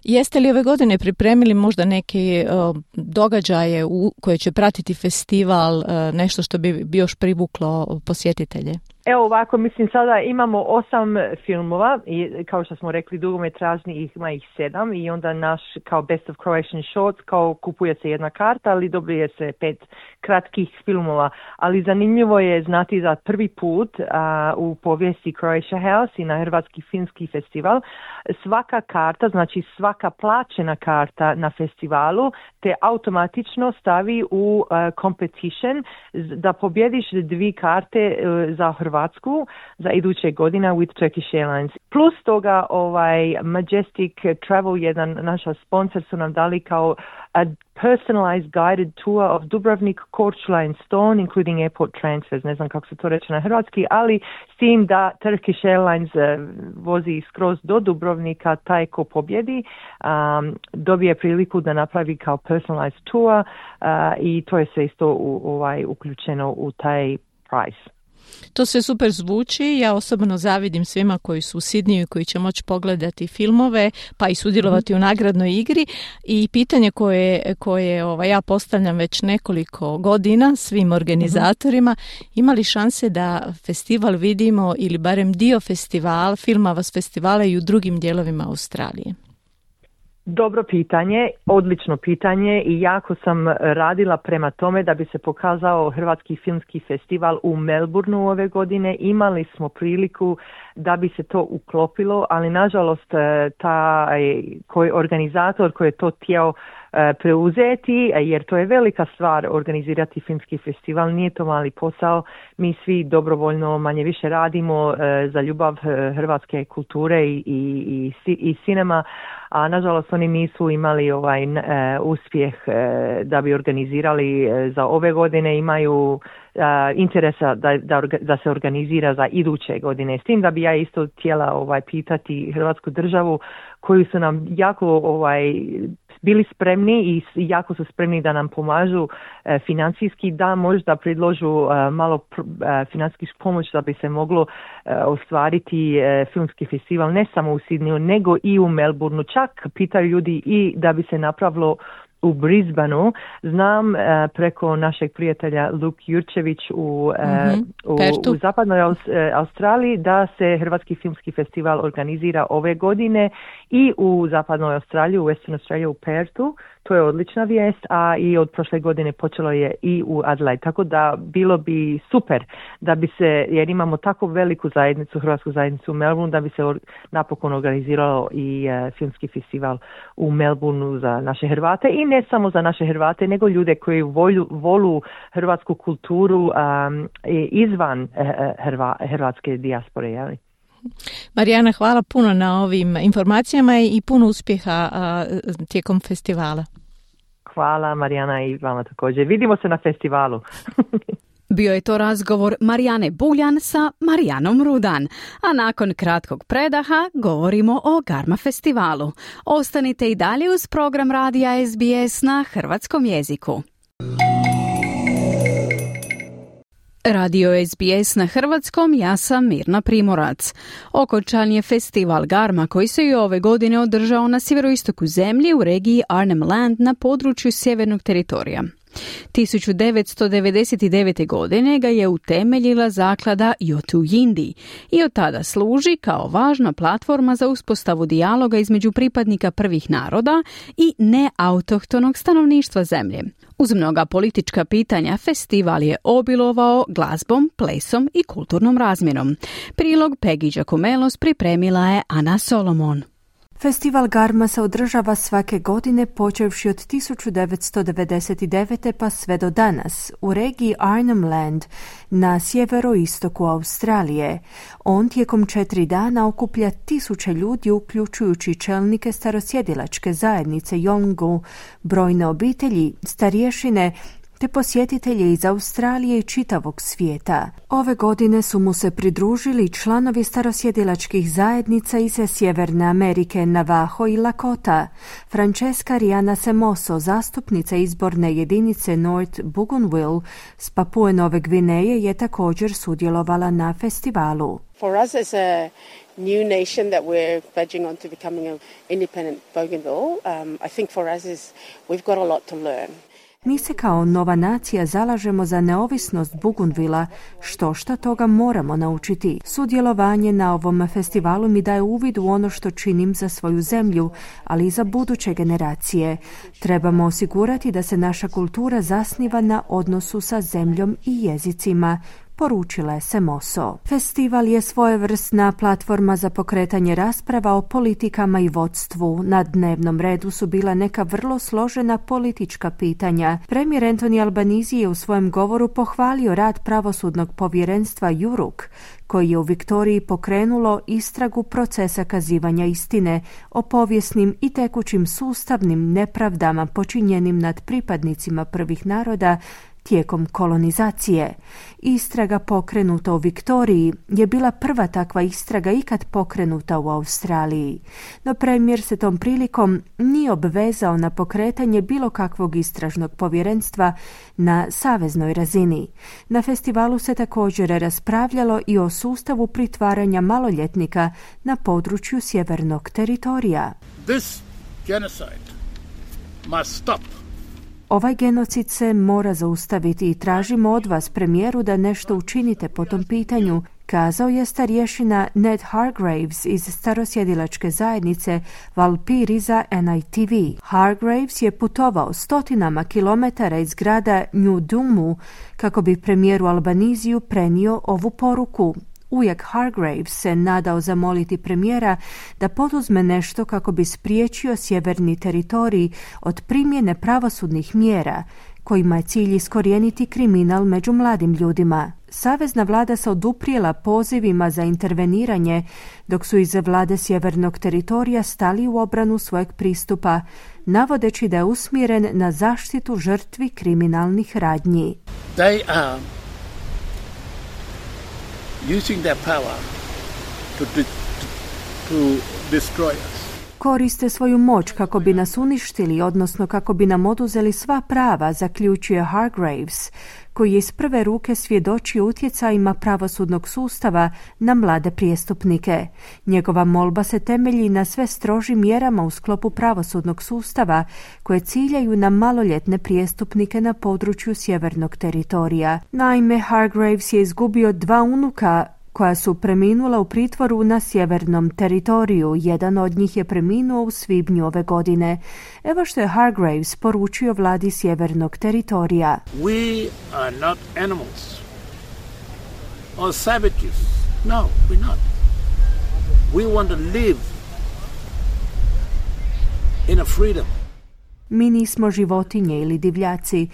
Speaker 18: Jeste li ove godine pripremili možda neke događaje koje će pratiti festival, nešto što bi još privuklo posjetitelje?
Speaker 17: Evo ovako, mislim sada imamo 8 filmova i kao što smo rekli dugometražni ima ih 7 i onda naš kao Best of Croatian Shorts kao kupuje se jedna karta, ali dobije se 5 kratkih filmova, ali zanimljivo je znati da prvi put u povijesti Croatia House i na Hrvatski filmski festival svaka karta, znači svaka plaćena karta na festivalu te automatično stavi u competition da pobjediš 2 karte za Hrvatsku za iduće godine with Turkish Airlines. Plus toga Majestic Travel, jedan naša sponsor, su nam dali kao a personalized guided tour of Dubrovnik, Korčula and Stone, including airport transfers. Ne znam kako se to reče na hrvatski, ali s tim da Turkish Airlines vozi skroz do Dubrovnika, taj ko pobjedi dobije priliku da napravi kao personalized tour i to je sve isto uključeno u taj price.
Speaker 18: To sve super zvuči, ja osobno zavidim svima koji su u Sidniju i koji će moći pogledati filmove pa i sudjelovati u nagradnoj igri i pitanje koje ja postavljam već nekoliko godina svim organizatorima, ima li šanse da festival vidimo ili barem dio filmova s festivala i u drugim dijelovima Australije?
Speaker 17: Dobro pitanje, odlično pitanje i jako sam radila prema tome da bi se pokazao Hrvatski filmski festival u Melbourneu ove godine. Imali smo priliku da bi se to uklopilo, ali nažalost organizator koji je to htio preuzeti, jer to je velika stvar organizirati filmski festival, nije to mali posao, mi svi dobrovoljno manje više radimo za ljubav hrvatske kulture i sinema, a nažalost oni nisu imali uspjeh da bi organizirali za ove godine, imaju interesa da se organizira za iduće godine. S tim da bi ja isto htjela pitati Hrvatsku državu koji su nam jako bili spremni i jako su spremni da nam pomažu financijski, da možda predložu malo financijsku pomoć da bi se moglo ostvariti filmski festival ne samo u Sidneyu nego i u Melbourneu. Čak pitaju ljudi i da bi se napravilo u Brisbaneu. Znam preko našeg prijatelja Luke Jurčević u zapadnoj Australiji da se Hrvatski filmski festival organizira ove godine i u zapadnoj Australiji, u Western Australia, u Perthu. To je odlična vijest, a i od prošle godine počelo je i u Adelaide. Tako da bilo bi super da bi se, jer imamo tako veliku zajednicu, hrvatsku zajednicu u Melbourneu, da bi se napokon organiziralo i filmski festival u Melbourneu za naše Hrvate i ne samo za naše Hrvate, nego ljude koji volu hrvatsku kulturu izvan hrvatske dijaspore, jeli?
Speaker 18: Marijana, hvala puno na ovim informacijama i puno uspjeha tijekom festivala.
Speaker 17: Hvala Marijana i vama također. Vidimo se na festivalu.
Speaker 3: Bio je to razgovor Marijane Buljan sa Marijanom Rudan, a nakon kratkog predaha govorimo o Garma festivalu. Ostanite i dalje uz program radija SBS na hrvatskom jeziku. Radio SBS na hrvatskom, ja sam Mirna Primorac. Okončan je festival Garma koji se i ove godine održao na sjeveroistoku zemlje u regiji Arnhem Land na području sjevernog teritorija. 1999. godine ga je utemeljila zaklada Yotu Yindi i od tada služi kao važna platforma za uspostavu dijaloga između pripadnika prvih naroda i neautohtonog stanovništva zemlje. Uz mnoga politička pitanja, festival je obilovao glazbom, plesom i kulturnom razmjenom. Prilog Peggy Giacomelos pripremila je Ana Solomon.
Speaker 19: Festival Garma se održava svake godine počevši od 1999. pa sve do danas u regiji Arnhem Land na sjeveroistoku Australije. On tijekom 4 dana okuplja 1000 ljudi uključujući čelnike starosjedilačke zajednice Yolngu, brojne obitelji, starješine te posjetitelje iz Australije i čitavog svijeta. Ove godine su mu se pridružili članovi starosjedilačkih zajednica iz Sjeverne Amerike, Navajo i Lakota. Francesca Riana Semoso, zastupnica izborne jedinice North Bougainville s Papue Nove Gvineje, je također sudjelovala na festivalu.
Speaker 20: For us as a new nation that we're verging on to becoming an independent Bougainville, I think for us we've got a lot to learn.
Speaker 19: Mi se kao nova nacija zalažemo za neovisnost Bougainvillea, šta toga moramo naučiti. Sudjelovanje na ovom festivalu mi daje uvid u ono što činim za svoju zemlju, ali i za buduće generacije. Trebamo osigurati da se naša kultura zasniva na odnosu sa zemljom i jezicima, poručila je Semoso. Festival je svojevrsna platforma za pokretanje rasprava o politikama i vodstvu. Na dnevnom redu su bila neka vrlo složena politička pitanja. Premijer Anthony Albanese je u svojem govoru pohvalio rad pravosudnog povjerenstva Juruk, koji je u Viktoriji pokrenulo istragu procesa kazivanja istine o povijesnim i tekućim sustavnim nepravdama počinjenim nad pripadnicima prvih naroda tijekom kolonizacije. Istraga pokrenuta u Viktoriji je bila prva takva istraga ikad pokrenuta u Australiji. No premijer se tom prilikom nije obvezao na pokretanje bilo kakvog istražnog povjerenstva na saveznoj razini. Na festivalu se također raspravljalo i o sustavu pritvaranja maloljetnika na području sjevernog teritorija.
Speaker 21: This genocide must stop.
Speaker 19: Ovaj genocid se mora zaustaviti i tražimo od vas, premijeru, da nešto učinite po tom pitanju, kazao je starješina Ned Hargraves iz starosjedilačke zajednice Valpiri za NITV. Hargraves je putovao stotinama kilometara iz grada New Dumu kako bi premijeru Albanisiju prenio ovu poruku. Ujak Hargraves se nadao zamoliti premijera da poduzme nešto kako bi spriječio sjeverni teritorij od primjene pravosudnih mjera, kojima je cilj iskorijeniti kriminal među mladim ljudima. Savezna vlada se oduprijela pozivima za interveniranje, dok su iz vlade sjevernog teritorija stali u obranu svojeg pristupa, navodeći da je usmjeren na zaštitu žrtvi kriminalnih radnji.
Speaker 21: They are using their power to destroy us.
Speaker 19: Koriste svoju moć kako bi nas uništili, odnosno kako bi nam oduzeli sva prava, zaključuje Hargraves, koji je iz prve ruke svjedočio utjecajima pravosudnog sustava na mlade prijestupnike. Njegova molba se temelji na sve strožim mjerama u sklopu pravosudnog sustava koje ciljaju na maloljetne prijestupnike na području sjevernog teritorija. Naime, Hargraves je izgubio 2 unuka koja su preminula u pritvoru na sjevernom teritoriju. Jedan od njih je preminuo u svibnju ove godine. Evo što je Hargraves poručio vladi sjevernog teritorija.
Speaker 21: We are not animals or savages. No, we're not. We want to live in a freedom.
Speaker 19: Mi nismo životinje ili divljaci.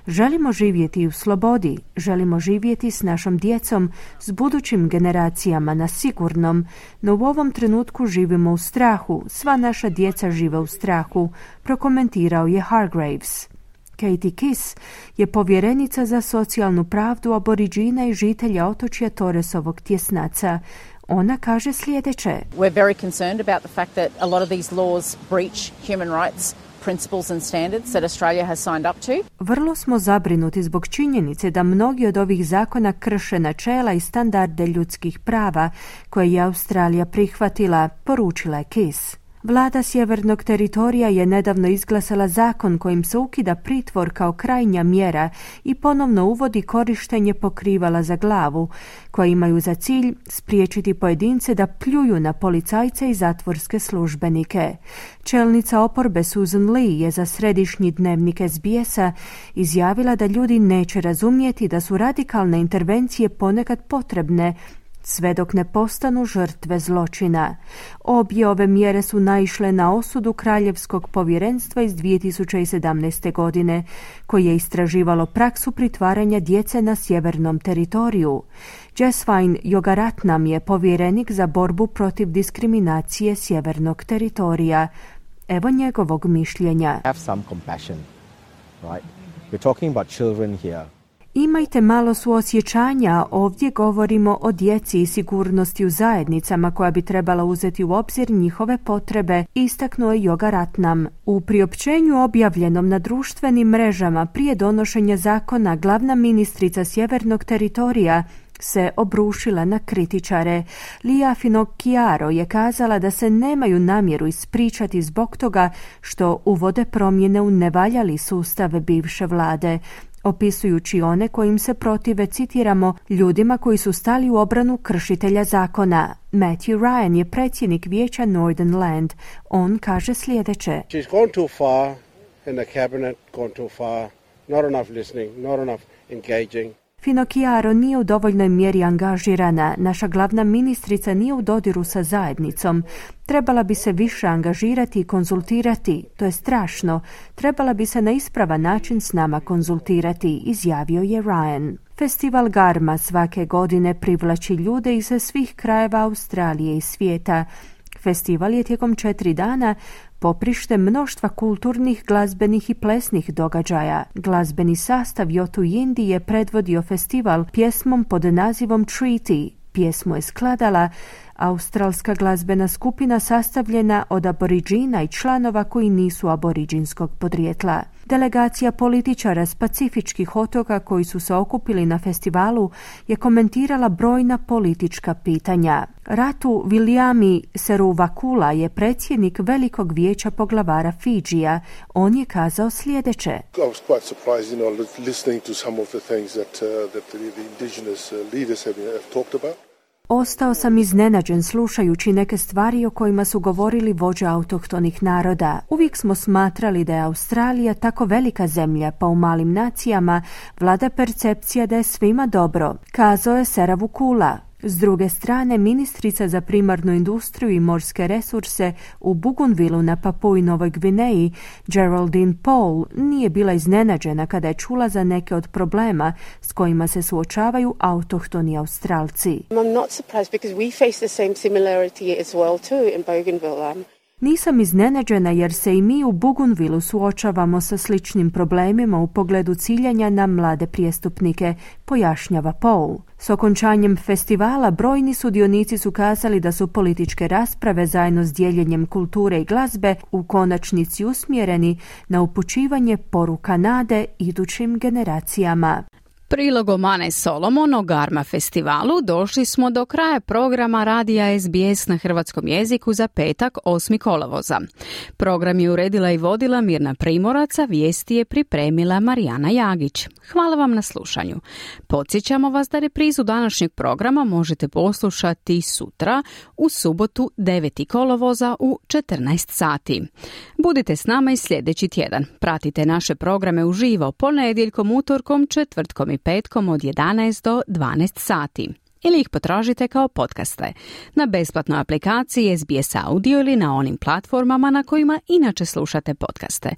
Speaker 19: Želimo živjeti u slobodi, želimo živjeti s našom djecom, s budućim generacijama na sigurnom, no u ovom trenutku živimo u strahu, sva naša djeca žive u strahu, prokomentirao je Hargraves. Katie Kiss je povjerenica za socijalnu pravdu aboriđina i žitelja otočja Torresovog tjesnaca. Ona kaže sljedeće.
Speaker 22: We're very concerned about the fact that a lot of these laws breach human rights principles and standards that Australia has signed up to.
Speaker 19: Vrlo smo zabrinuti zbog činjenice da mnogi od ovih zakona krše načela i standarde ljudskih prava koje je Australija prihvatila, poručila je Kiss. Vlada sjevernog teritorija je nedavno izglasala zakon kojim se ukida pritvor kao krajnja mjera i ponovno uvodi korištenje pokrivala za glavu, koja imaju za cilj spriječiti pojedince da pljuju na policajce i zatvorske službenike. Čelnica oporbe Susan Lee je za središnji dnevnik SBS-a izjavila da ljudi neće razumjeti da su radikalne intervencije ponekad potrebne, sve dok ne postanu žrtve zločina. Obje ove mjere su naišle na osudu Kraljevskog povjerenstva iz 2017. godine, koje je istraživalo praksu pritvaranja djece na sjevernom teritoriju. Jesvine Yogaratnam je povjerenik za borbu protiv diskriminacije sjevernog teritorija. Evo njegovog mišljenja.
Speaker 23: Have some compassion, right? We're talking about children here.
Speaker 19: Imajte malo suosjećanja, ovdje govorimo o djeci i sigurnosti u zajednicama koja bi trebala uzeti u obzir njihove potrebe, istaknuo je Yogaratnam. U priopćenju objavljenom na društvenim mrežama prije donošenja zakona, glavna ministrica sjevernog teritorija se obrušila na kritičare. Lia Finocchiaro je kazala da se nemaju namjeru ispričati zbog toga što uvode promjene u nevaljali sustav bivše vlade, opisujući one kojim se protive, citiramo, ljudima koji su stali u obranu kršitelja zakona. Matthew Ryan je predsjednik vijeća Northern Land. On kaže sljedeće.
Speaker 1: She's gone too far in the cabinet, gone too far. Not enough listening, not enough engaging.
Speaker 19: Finocchiaro nije u dovoljnoj mjeri angažirana. Naša glavna ministrica nije u dodiru sa zajednicom. Trebala bi se više angažirati i konzultirati. To je strašno. Trebala bi se na ispravan način s nama konzultirati, izjavio je Ryan. Festival Garma svake godine privlači ljude iz svih krajeva Australije i svijeta. Festival je tijekom 4 dana poprište mnoštva kulturnih, glazbenih i plesnih događaja. Glazbeni sastav Yotu Yindi je predvodio festival pjesmom pod nazivom Treaty. Pjesmu je skladala australska glazbena skupina sastavljena od aboriđina i članova koji nisu aboriđinskog podrijetla. Delegacija političara s pacifičkih otoka koji su se okupili na festivalu je komentirala brojna politička pitanja. Ratu Viliami Seruvakula je predsjednik Velikog vijeća poglavara Fidžija. On je kazao sljedeće.
Speaker 2: I was quite surprised, listening to some of the things that the indigenous leaders have talked about.
Speaker 19: Ostao sam iznenađen slušajući neke stvari o kojima su govorili vođe autohtonih naroda. Uvijek smo smatrali da je Australija tako velika zemlja, pa u malim nacijama vlada percepcija da je svima dobro, kazao je Seruvakula. S druge strane, ministrica za primarnu industriju i morske resurse u Bougainvilleu na Papui Novoj Gvineji, Geraldine Paul, nije bila iznenađena kada je čula za neke od problema s kojima se suočavaju autohtoni Australci.
Speaker 20: I'm not surprised because we face the same similarity as well too in Bougainville.
Speaker 19: Nisam iznenađena jer se i mi u Bougainvilleu suočavamo sa sličnim problemima u pogledu ciljanja na mlade prijestupnike, pojašnjava Paul. S okončanjem festivala brojni sudionici su kazali da su političke rasprave zajedno s dijeljenjem kulture i glazbe u konačnici usmjereni na upućivanje poruka nade idućim generacijama.
Speaker 3: Prilogom Ane Solomon o Garma festivalu došli smo do kraja programa radija SBS na hrvatskom jeziku za petak 8. kolovoza. Program je uredila i vodila Mirna Primorac, a vijesti je pripremila Marijana Jagić. Hvala vam na slušanju. Podsjećamo vas da reprizu današnjeg programa možete poslušati sutra u subotu 9. kolovoza u 14 sati. Budite s nama i sljedeći tjedan. Pratite naše programe uživo ponedjeljkom, utorkom, četvrtkom i petkom od 11 do 12 sati. Ili ih potražite kao podcaste na besplatnoj aplikaciji SBS Audio ili na onim platformama na kojima inače slušate podcaste.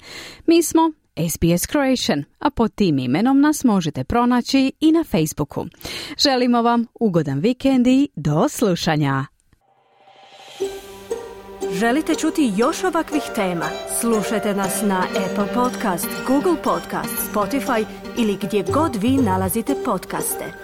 Speaker 3: Mi smo SBS Croatian, a pod tim imenom nas možete pronaći i na Facebooku. Želimo vam ugodan vikend i do slušanja.
Speaker 19: Želite čuti još ovakvih tema? Slušajte nas na Apple Podcast, Google Podcast, Spotify ili gdje god vi nalazite podcaste.